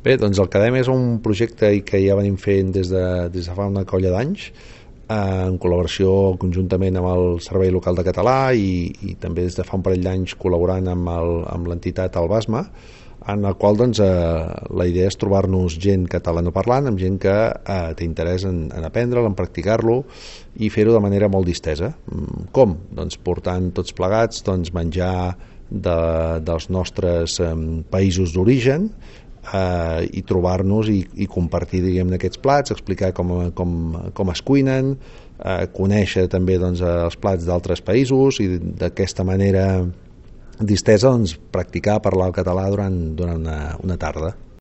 Bé, doncs el Cadem és un projecte que ja venim fent des de fa una colla d'anys, en col·laboració conjuntament amb el Servei Local de Català i també des de fa un parell d'anys col·laborant amb l'entitat Albasma, en el qual doncs, la idea és trobar-nos gent catalanoparlant, amb gent que té interès en aprendre'l, en practicar-lo i fer-ho de manera molt distesa. Com? Doncs portant tots plegats menjar dels nostres països d'origen, i trobar-nos i compartir, diguem-ne, aquests plats, explicar com es cuinen, conèixer també els plats d'altres països i d'aquesta manera distesa practicar parlar el català durant una tarda.